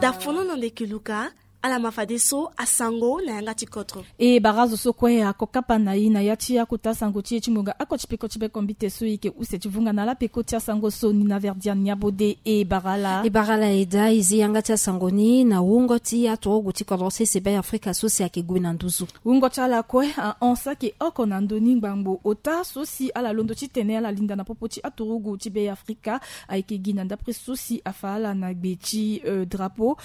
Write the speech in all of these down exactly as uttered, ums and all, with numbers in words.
Dafono na ndeke luka. Ala ma fadeso asango na yanga ti kodro. E bara azo so kue ako kapa na e na ya ti akota sango ti e ti ngonga oko ti peko ti peko mbite so e yeke use ti vunga na ala peko ti asango so ni na verdian nyabode. E bara ala e bara ala e daa e zi yanga ti asango ni na wungo ti aturugu ti kodro sese be afrika so si ayeke gue na nduzu. Wungo ti ala kue ahon saki oko na ndö ni ngbangbo ota so si ala londo titene ala linda na popo ti aturugu ti be afrika. Ayeke gi na ndapre so si afa ala na gbe ti drapeau.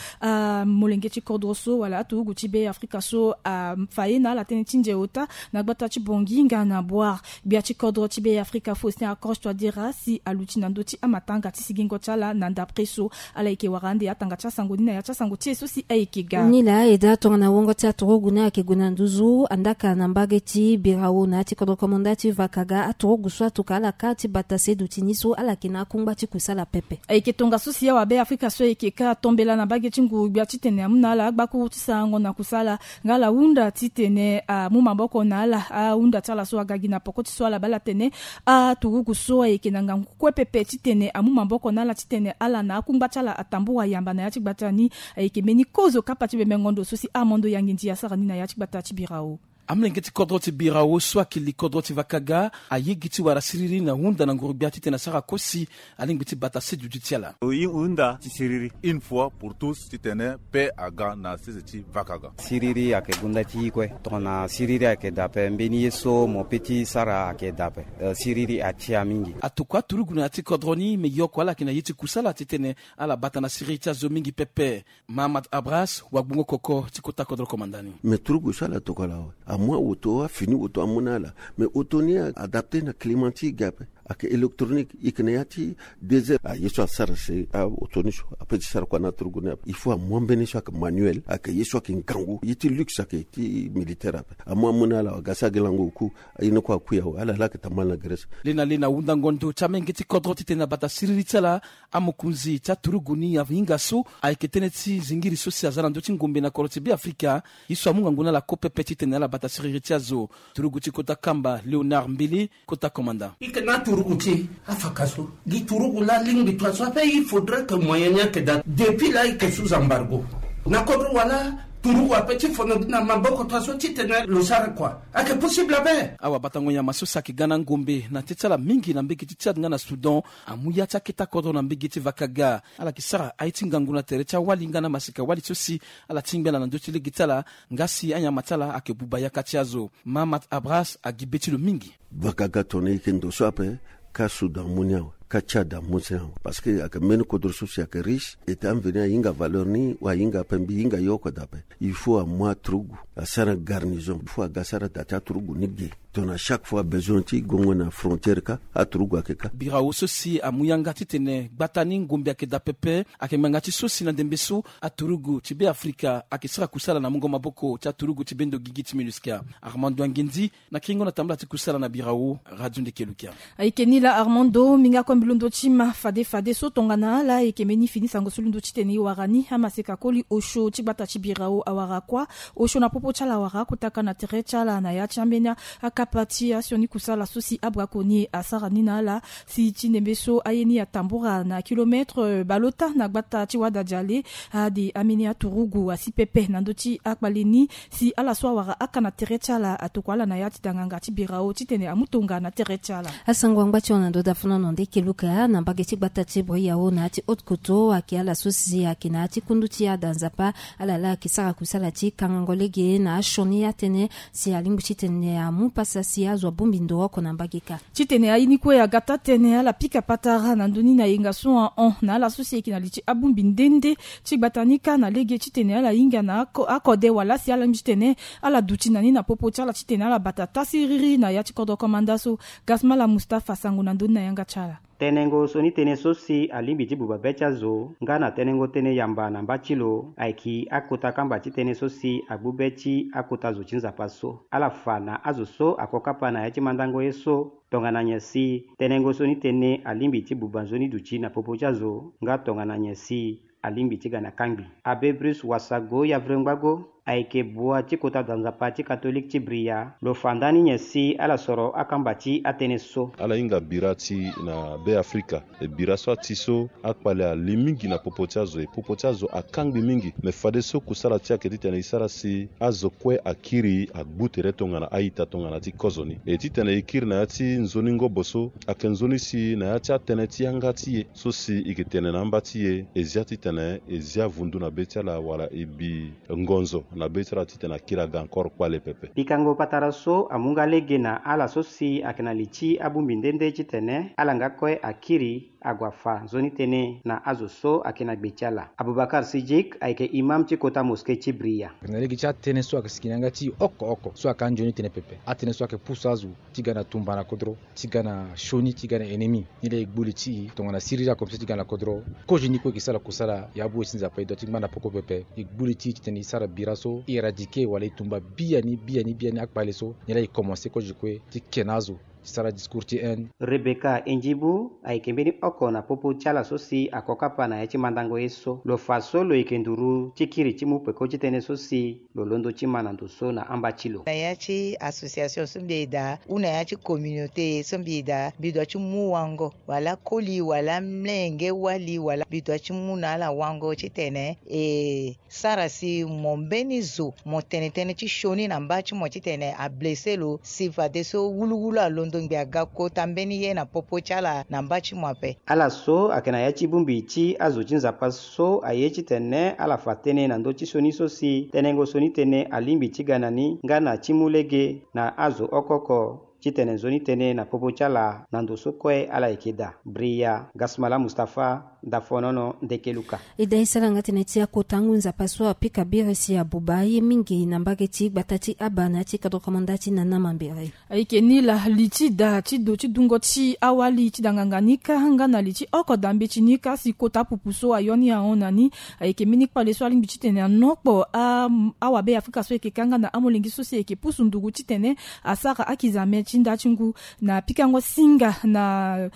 Molenge ti kodro so wala aturugu ti be afrika so afa ye na ala tënë ti nze ota na gbata ti bongi nga na boire. Gbia ti kodro ti be afrika faustin acroche toi dira si aluti na ndö ti amatanga ti sigingo ti ala na ndapre so. Ala yeke wara ande atanga ti asango ni na ya ti asango ti e so si ayeke ga. Nilaa e daa tongana wongo ti aturugu ni ayeke gue na nduzu andaka na mbage ti birao na ya ti kodro komanda ti vakaga aturugu so atuka ala kâ ti bata seduti ni so ala yeke na akungba ti kusala pepe. Ayeke tongaso si awabe afrika so ayeke kâ atombela na mbage ti nguru-gbia titene amu na ala agbakuru ti sarango na kusala nga ala hunda titene amu maboko na ala ahunda ti ala so aga gi na poko ti so ala baa ala tene aturugu so ayeke na ngangu kue pepe titene amu maboko na ala titene ala na akungba ti ala atambura yamba na ya ti gbata ni. Ayeke mbeni kozo kapa ti bemengo ndo so si armando yanginzi asara ni na ya ti gbata ti birao. Amolenge ti kodro ti birao so ayeke li kodro ti vakaga aye gi ti wara siriri na hunda na nguru-gbia titene asara kosi alingbi ti bata seduti ti ala. Oyi hunda ti siriri une fois pour tous titene pe aga na sese ti vakaga. Siriri ayeke gonda ti yi kue tongana siriri ayeke dape mbeni ye so mo pe ti sara ayeke dape. Siriri atia mingi. Atokua aturugu na ya ti kodro ni me yoko ala yeke na ye ti kusala titene ala bata na siriri ti azo mingi pepe. Mahamat abras wagbongo koko ti kota kodro komanda ni. Me turugu so ala tokua la awe amu awoto afini woto amu na ala. Me oto ni adapte na climat ti ga ape. Ayeke électronique e yeke na ya ti deux heures aye so asara si aoto ni so ape ti sara kua na aturugu ni ape il faut amu ambeni so ayeke manuel ayeke ye so ayeke ngangu ye ti luxe ayeke ti militaire ape. Amu amu na ala aga si agi lango oku. Aye ni kue akui awe ala laa ayeke tambala na grèce. Le na le na hundango ndo ti amenge ti kodro titene abata siriri ti ala. Amokonzi ti aturugu ni ahinga so ayeke tënë ti zingiri so si aza na ndö ti ngombe na kodro ti be afrika. Ye so amu ngangu na ala ko pepe titene ala bata siriri ti azo. Turugu ti kota kamba léonard mbele kota komanda. E yeke na aturugu ti e afaka so gi turugu laa alingbi tua so ape il faudrait que moyen ni ayeke daa depuis laa e yeke sous embargo na kodro wala turugu ape ti fono gi na maboko tua so titene lo sara kua. Ayeke possible ape. Awabatango nyama so si ayeke ga na ngombe na tê ti ala mingi na mbege ti tchad nga na soudan amu ya ti aketa kodro na mbege ti vakaga. Ala yeke sara aye ti ngangu na tere ti awali nga na masika wali so si ala tingbi ala na ndö ti lege ti ala nga si anyama ti ala ayeke buba yaka ti azo. Mahamat abras agi be ti lo mingi. Bakaga tongana e yeke ndo so ape ka soudan amu ni awe ka tchad amu ni awe. Parce que ayeke mbeni kodro so si ayeke riche ete amveni ahinga valeur ni wa ahinga ape mbi hinga ye oko daa ape. Il faut amu aturugu asara garnison il faut aga asara da ti aturugu ni ge. Tongana chaque fois besoin ti gongo na frontière ka aturugu ayeke ka. Birao so si amu yanga titene gbata ni ngombe ayeke daa pepe. Ayeke ngbanga ti so si na ndembe so aturugu ti be afrika ayeke sara kusala na mungo maboko ti aturugu ti bendo gigi ti minusca. Armando angenzi na kiringo na tambala ti kusala na birao radio ndeke lukia. Ayeke ni laa armando minga kue mbi londo ti ma fade fade so tongana ala ayeke mbeni fini sango so londo titene e wara ni amaseka koli osio ti gbata ti birao awara kuâ. Osio na popo ti ala awara akotaka na tere ti ala na ya ti ambeni akapa ti asioni kusala so si abraconier asara ni na ala. Si ti ndembe so aye ni atambura na kilometre baleota na gbata ti wada diale. Ade ambeni aturugu asi pepe na ndö ti akpale ni si ala so awara aka na tere ti ala atokua ala na ya ti danganga ti birao titene amu tonga na tere ti ala. Asango angba ti hon na ndo dafonono nde keluka na mbage ti gbata ti briao na ya ti haute koto ayeke ala so si ayeke na ya ti kundu ti ada nzapa. Ala laa ayeke sara kusala ti kangango lege na asioni atënë si alingbi titene amu pasa si azo abongbi ndo oko na mbage kâ. Titene aye ni kue aga taa tënë ala pika patara na ndö ni na yenga so ahon na ala so si ayeke na li ti abongbi nde nde ti gbata ni kâ na lege titene ala hinga na akode wala si ala lingbi titene ala duti na ni na popo ti ala titene ala bata taa siriri na ya ti kodro komanda so. Gasmala mustafa sango na ndö ni na yanga ti ala. Tenengo so ni tënë so si alingbi ti buba be ti azo nga na tenengo tënë yamba na mba ti lo ayeke akota kamba ti tënë so si agbu be ti akota zo ti nzapa so ala fa na azo so ako kapa na ya ti mandango ye so. Tongana nyen si tenengo so ni tënë alingbi ti buba nzoni duti na popo ti azo nga tongana nyen si alingbi ti ga na kangbi. Abe bruce wasago yavre ngbago. Ayeke bua ti kota da nzapa ti Katolik ti Bria lo fa ndani nyen si ala soro akamba ti atënë so. Ala hinga bira ti na Be Afrika. E bira so ati so akpale ali mingi na popo ti azo, e popo ti azo akangbi mingi. Me fadeso kusala ti ayeke titene e sara si azo kue akiri agbu tere tongana a-ita tongana ti kozo ni. E titene e kiri na ya ti nzoni ngobo so ayeke nzoni si na ya ti atënë ti yanga ti e so si e yeke tene na amba ti e, e zia titene e zia vundu na be ti ala wala e bi ngonzo na be ti ala titene akiri aga encore kpale pepe. Pikango patara so amu nga lege na ala so si ayeke na li ti abongbi nde nde titene ala nga kue akiri ague afa nzoni tënë na azo so ayeke na gbe ti ala. Abubakar Sidjik ayeke imam ti kota moske ti Bria. Na lege ti atënë so ayeke siki na yanga ti e oko oko so ayeke anzoni tënë pepe. Atënë so ayeke pusu azo ti ga na tumba na kodro, ti ga na sioni, ti ga na ennemi. Ni laa e gbu li ti e tongana siriri akomisa ti ga na kodro. Kozo ni kue e yeke sara kusala, ya bu e ti Nzapa e dua ti ngbanda poko pepe. E gbu li ti e titene e sara bira so e éradiquer wala e tumba biani biani biani akpale so. Ni laa e commencer kozo kue ti ke na azo ti sara discours ti haine. Rebecca Endjibu ayeke mbeni oko na popo ti ala so si ako kapa na ya ti mandango ye so. Lo fa so lo yeke nduru ti kiri ti mu peko ti tënë so si lo londo ti ma na ndo so na amba ti lo. Na ya ti association so mbi e daa, ou na ya ti communauté so mbi e daa, mbi dua ti mu wango wala koli wala mlenge wali wala mbi dua ti mu na ala wango titene e sara si mo mbeni zo mo tene tënë ti sioni na mba ti mo titene ablesse lo si fadeso wuluwulu alondo ngbi aga kota mbeni ye na popo ti ala na mba ti mo ape. Ala so ayeke na ya ti bongbi ti azo ti Nzapa so aye titene ala fa tënë na ndö ti sioni so si tenengo sioni tënë alingbi ti ga na ni nga na ti mu lege na azo oko oko titene nzoni tënë na popo ti ala na ndo so kue ala yeke daa. Bria Gasmala Mustapha, Dafonono, Ndekeluka. E daa e sara nga tënë ti akota ngu Nzapa so apika biri si abuba ye mingi na mbage ti gbata ti Aba na ya ti kodro komanda ti Nana Mambere. Ayeke ni laa li ti da ti do ti dungo ti awali ti da nganga ni kâ nga na li ti oko da mbeti ni kâ si kota pupu so ayo ni ahon na ni. Ayeke mbeni kpale so alingbi titene anokpo a, awabe Afrika so ayeke kâ nga na amolenge so si ayeke pusu ndugu titene asara akizame ti nda ti ngu na pikango singa na,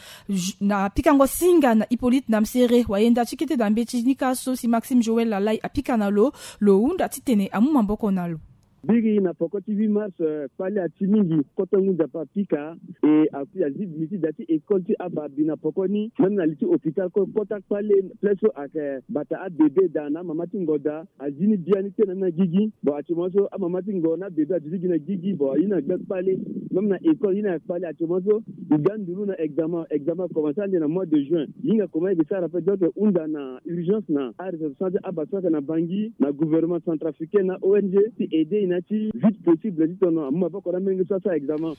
na pikango singa na Hippolyte Namsere, wayenda ti kete da mbeti ni kâ so si Maxime Joël Lalai apika na lo, lo hunda titene amu maboko na lo. Biri na poko ti huit mars, eh, kpale ati mingi, kota ngu Nzapa apika, e azi li ti da ti école ti Aba abi na poko ni, même na li ti hôpital kue kota kpale, place so ayeke bata abébé da na amama ti ngo da, azi ni biani tënë na gigi. Bon, actuellement so amama ti ngo na abébé aduti gi na gigi, bon, aye ni agbe kpale, même na école ye ni ayeke kpale actuellement so. E ga nduru na examen, examen akomanse ande na mois de juin. Hinga comment e yeke sara ape, donc e hunda na urgence na aressortissant ti Aba so ayeke na Bangui, na gouvernement centrafricain na O N G ti aider e na ya ti vite possible ti tono amu maboko na amolenge so asara examen.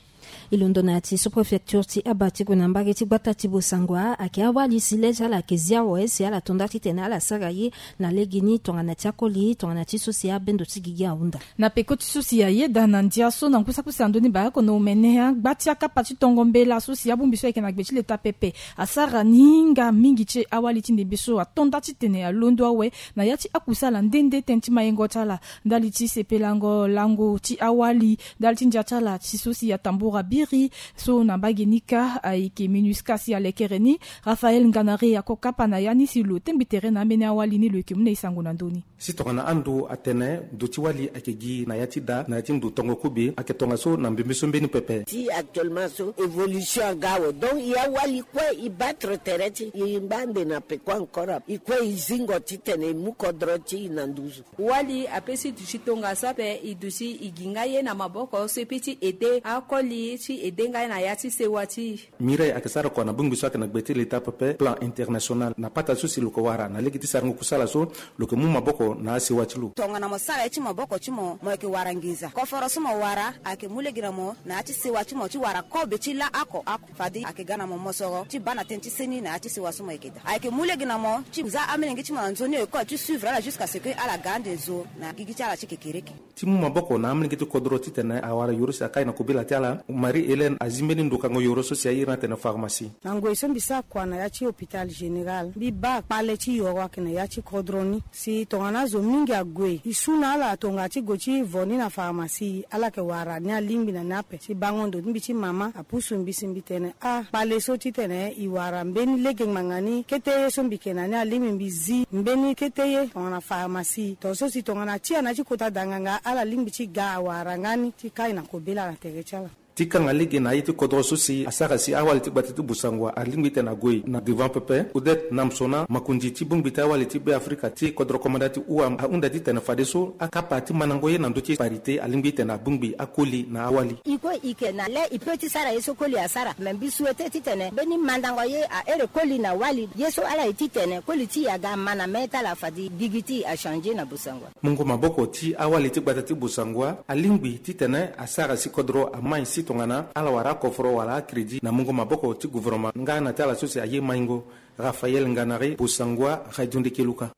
E londo na ya ti sous-préfecture ti Aba ti gue na mbage ti gbata ti Bossangoa, ayeke awali si le ti ala ayeke zia awe si ala to nda titene ala sara ye na legeni tongana ti akoli tongana ti so si abendo ti gigi ahunda. Na peko ti so si ayeda na ndia so na ngu saki use na ndö ni baako na omene, agba ti akapa ti tongo mbela so si abongbi so ayeke na gbe ti leta pepe asara ni hinga mingi ti awali ti ndembe so ato nda titene alondo awe na ya ti akusala nde nde tënë ti mayengo ti ala, ndali ti sepelango lango ti awali, ndali ti ndia ti ala ti so si atambura biri. So na mbage ni kâ ayeke MINUSCA si alekere ni. Raphaël Nganare ako kapa na ya ni si lo tengbi tere na ambeni awali ni, lo yeke mu na e sango na ndö ni. Si tongana ando atene ndo ti wali ayeke gi na ya ti da na ya ti ndo tongo kobe, ayeke tongaso na mbembe so mbeni pepe. Ti actuellement so évolution aga awe, donc e awali kue e battre tere ti e ngba ande na peko encore ape, e kue e zingo titene e mu kodro ti e na nduzu. Wali apesi duti tongaso ape, e duti e gi nga ye na maboko so e peut ti aider akoli ti aider nga ye na ya ti sewa ti e. Mireille ayeke sara kua na bongbi so ayeke na gbe ti leta pepe, plan international. Na pata so si lo yeke wara na lege ti sarango kusala so, lo yeke mu maboko na asewa ti lo. Tongana mo sara ye ti maboko ti mo, mo yeke wara nginza. Koforo so mo wara ayeke mu lege na mo na ya ti sewa ti mo ti wara kobe ti laa oko oko. Fade ayeke ga na mo mosoro ti baa na tënë ti seni na ya ti sewa so mo yeke daa. Ayeke mu lege na mo ti za amolenge ti mo na nzoni école ti suivre ala jusqu'à ce que ala ga ande zo na gigi ti ala ti kekereke. Ti mu Maboko na amolenge ti kodro titene awara yoro si akai na kobela ti ala. Marie Hélène azi mbeni ndukango yoro so si airi ni atene pharmacie. Na ngoi so mbi sara kua na ya ti hôpital général, mbi baa kpale ti yoro ayeke na ya ti kodro ni. Si tongana azo mingi ague, e su na ala tonga ti gue ti vo ni na pharmacie, ala yeke wara ni alingbi na ni ape. Si bango ndo ti mbi ti mama apusu mbi si mbi tene, ah, kpale so titene e wara mbeni lege ngbanga ni, kete ye so mbi yeke na ni alingbi mbi zi mbeni kete ye tongana pharmacie. Tongaso si tongana ti ya na ya ti kota da nganga, ala lingbi ti ga awara nga ni ti kai na kobela na tere ti ala. Ti kanga lege na aye ti kodro so si asara si awali ti gbata ti Bossangoa alingbi titene ague na devant pepe. Odette Namsona, makonzi ti bongbi ti awali ti Be Afrika ti kodro komanda ti U A M, ahunda titene fadeso akapa ti mandango ye na ndö ti parité alingbi titene abongbi akoli na awali. E kue e yeke na le e peut ti sara ye so koli asara. Me mbi souhaite titene mbeni mandango ye ahere koli na wali, ye so ala ye titene koli ti e aga ma na mê ti ala fade gigi ti e achangé na Bossangoa. Mungo maboko ti awali ti gbata ti Bossangoa alingbi titene asara si kodro amai si tongana ala wara akoforo wala acrédit na mungo maboko ti gouvernement nga na ti ala so si aye maingo. Raphaël Nganari, Bossangoa, Radio Ndeke Luka.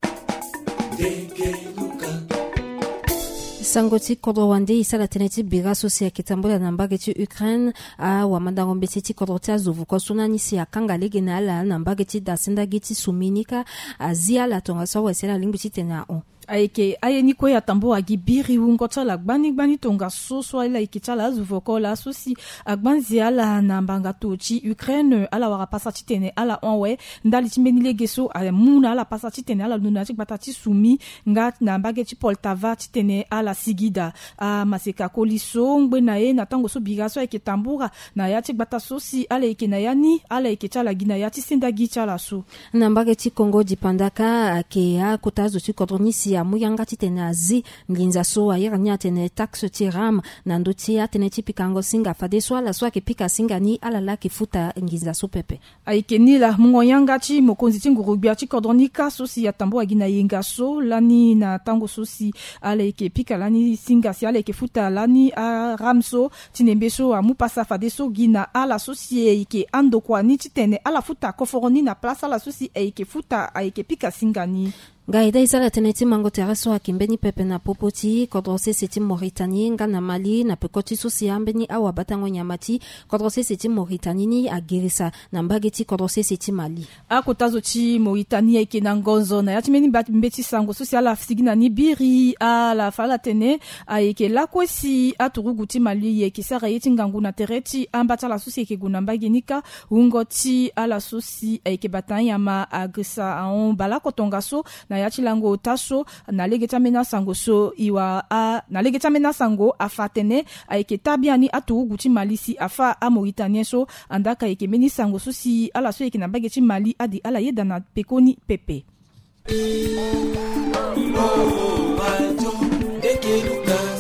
Sango ti kodro wande e sara tënë ti bira so si ayeke tambula na mbage ti Ukraine. Awamandango mbeti ti kodro ti azo vuko so na ni si akanga lege na ala na mbage ti da sendagi ti sumi ni kâ, azi ala tongaso awe si ala lingbi titene ahon. Ayeke aye ni kue atambula gi biri wungo ti ala gbani gbani tongaso so ala yeke ti ala azo vuko laa so si agbanzi ala na mbanga to ti Ukraine, ala wara pasa titene ala hon awe ndali ti mbeni lege so amu na ala pasa titene ala londo na ya ti gbata ti sumi nga na mbage ti Poltava titene ala sigi daa. Amaseka koli so ngbe na ye na tango so bira so ayeke tambula na ya ti gbata so si ala yeke na ya ni, ala yeke ti ala gi na ya ti sendagi ti ala so. Na mbage ti Congo dipanda kâ, ayeke akota azo ti kodro ni si amu yanga titene azi nginza so airi ni atene taxe ti ram na ndö ti atënë ti pikango singa, fadeso ala so ayeke pika singa ni ala laa ayeke futa nginza so pepe. Ayeke ni laa mungo yanga ti mokonzi ti nguru-gbia ti kodro ni kâ so si atambula gi na yenga so lani na tango so si ala yeke pika lani singa si ala yeke futa lani aram so ti nembe so amu pasa fadeso gi na ala so si ayeke andokua ni titene ala futa koforo ni na place ala so si ayeke futa ayeke pika singa ni. Nga e dä e sara tënë ti mango tere so ayeke mbeni pepe na popo ti kodro sese ti Mauritanie nga na Mali na peko ti so si ambeni awabatango nyama ti kodro sese ti Mauritanie ni agirisa na mbage ti kodro sese ti Mali. Akota zo ti Mauritanie ayeke na ngonzo na ya ti mbeni mba-, mbeti sango so si ala sigi na ni biri ala fa ala tene ayeke lakue si aturugu ti Mali ayeke sara ye ti ngangu na tere ti amba ti ala so si ayeke gue na mbage ni kâ. Wungo ti ala so si ayeke bata anyama agirisa ahon baleoko tongaso na ya ti lango ota so na lege ti ambeni asango so e wara a, na lege ti ambeni asango afa atene ayeke taa biani aturugu ti Mali si afa aMauritanien so. Andaa ka ayeke mbeni sango so si ala so ayeke na mbage ti Mali adi ala yeda na pekoni pepe.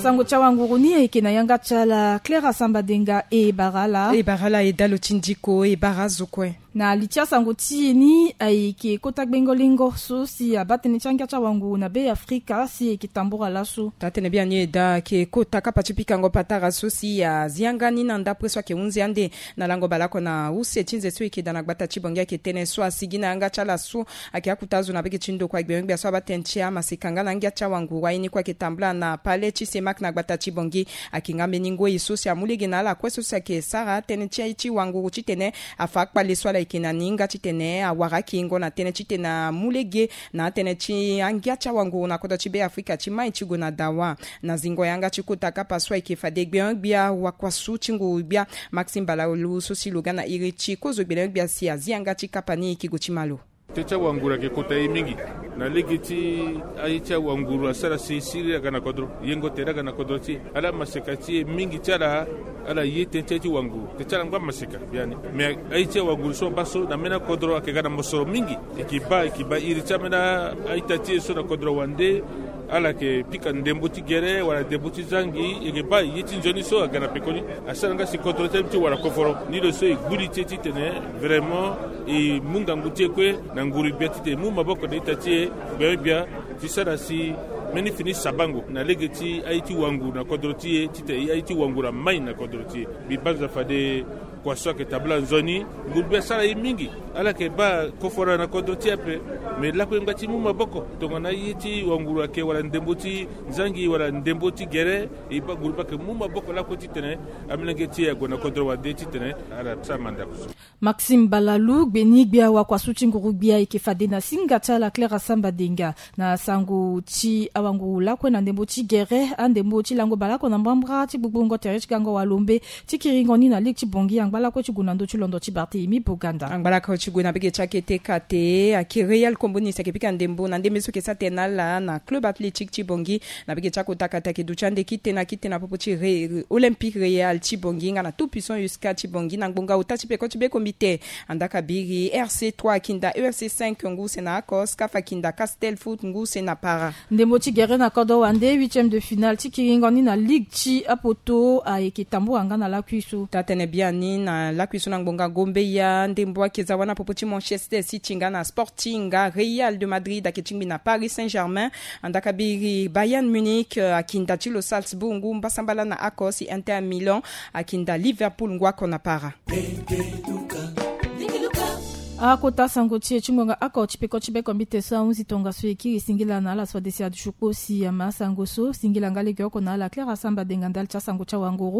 Sango ti awanguru ni ayeke na yanga ti ala Clara Sambadenga. E bara ala. E bara ala e dalo ti ndiko, e bara azo kue. Na li ti asango ti e ni ayeke kota gbengo-lengo so si abaa tënë ti angia ti awanguru na Be Afrika si e yeke tambula laso. Taa tënë biani e daa ayeke kota kapa ti pikango patara so si azi yanga ni na ndapre so ayeke hunzi ande na lango baleoko na use ti nze so e yeke daa na gbata ti Bangui. Ayeke tënë so asigi na yanga ti ala so ayeke akota azo na bege ti ndokua gbengbe gbia so abaa tënë ti amaseka nga na angia ti awanguru. Aye ni kue ayeke tambula na palais ti CEMAC na gbata ti Bangui. Ayeke nga mbeni ngoi so si amu lege na ala kue so si ayeke sara tënë ti aye ti wanguru titene afa akpale so ala yeke na ni nga titene awara akingo na tënë titene amu lege na atënë ti angia ti awanguru na kodro ti Be Afrika ti mai ti gue na dawa. Na zingo yanga ti kota kapa so ayeke fade gbengbe gbia wakuasu ti nguru-gbia Maxime Balalou so si lo ga na iri ti kozo gbele gbia si azi yanga ti kapa ni e yeke gue ti malo. Tënë ti awanguru ayeke kota e mingi na lege ti aye ti awanguru asara si siriri aga na kodro, yengo tere aga na kodro ti e. Ala maseka ti e mingi ti ala, ala ye tënë ti aye ti wanguru. Tënë ti ala ngbâ maseka biani. Me aye ti awanguru so abaa so na mbeni akodro ayeke ga na mosoro mingi. E yeke baa, e yeke baa iri ti ambeni a-ita ti e so na kodro wande. Ala yeke pika ndembo ti gere wala ndembo ti zangi, e yeke baa ye ti nzoni so aga na pekoni. Asara nga si kodro ti ala ti wara koforo. Ni lo so e gbu li ti e titene vraiment e mu ngangu ti e kue na nguru-gbia titene e mu maboko na ita ti e gbengbe gbia ti sara si mbeni fini sabango na lege ti aye ti wanguru na kodro ti e titene aye ti wanguru amai na kodro ti e. Mbi banza fade Kua so ayeke tabla nzoni, nguru be asara ye mingi. Ala yeke baa koforo na kodro ti e ape. Me lakue ngba ti mu maboko tongana ye ti wanguru ayeke wala ndembo ti nzangi wala ndembo ti gere, e baa nguru be ayeke mu maboko lakue titene amolenge ti e ague na kodro wande titene ala sara mandako so. Maxime Balalou, gbeni gbia wakua so ti nguru gbia ayeke fade na singa ti ala Claire Asamba Denga na sango ti awanguru lakue na ndembo ti gere, andembo ti lango baleoko na mbrambra ti gbugbungo tere ti gango walombe ti kiringo ni na ligue ti Bangui angba lakue ti gue na ndö ti londo ti Barthélemy Boganda. Angba lakue ti gue na bege ti akete kate ayeke Real Kombo ni si ayeke pika ndembo na ndembe so ayeke sara tene na ala na club athlétique ti Bangui. Na bege ti akota kate ayeke duti ande kite na kite na popo ti Re- Olympique Real ti Bangui nga na Tout Puissant U S K ti Bangui na ngbonga ota ti peko ti be kombite. Andaka biri R C trois akinda E R C cinq ngu se na Akos, CAF akinda Castel Foot ngu se na Para. Ndembo ti gere na kodro wande, huitième de finale ti kiringo ni na ligue ti apoto ayeke tambula nga na lakui so. Taa-tënë biani na lakui so na ngbonga gombeya ndembo ayeke za wâ na popo ti Manchester City nga na Sporting, nga Real de Madrid ayeke tingbi na Paris Saint-Germain. Andaka biri Bayern Munich eh, akinda ti lo Salzbourg ngu mbasambala na Akos, Inter Milan akinda Liverpool ngu oko na Para. Akota sango ti e ti ngonga oko ti peko ti be kombite so ahunzi tongaso e kiri singila na ala so adesi adusu kposi ama asango so singila nga lege oko na ala Claire Asamba Denga ndali ti asango ti awanguru.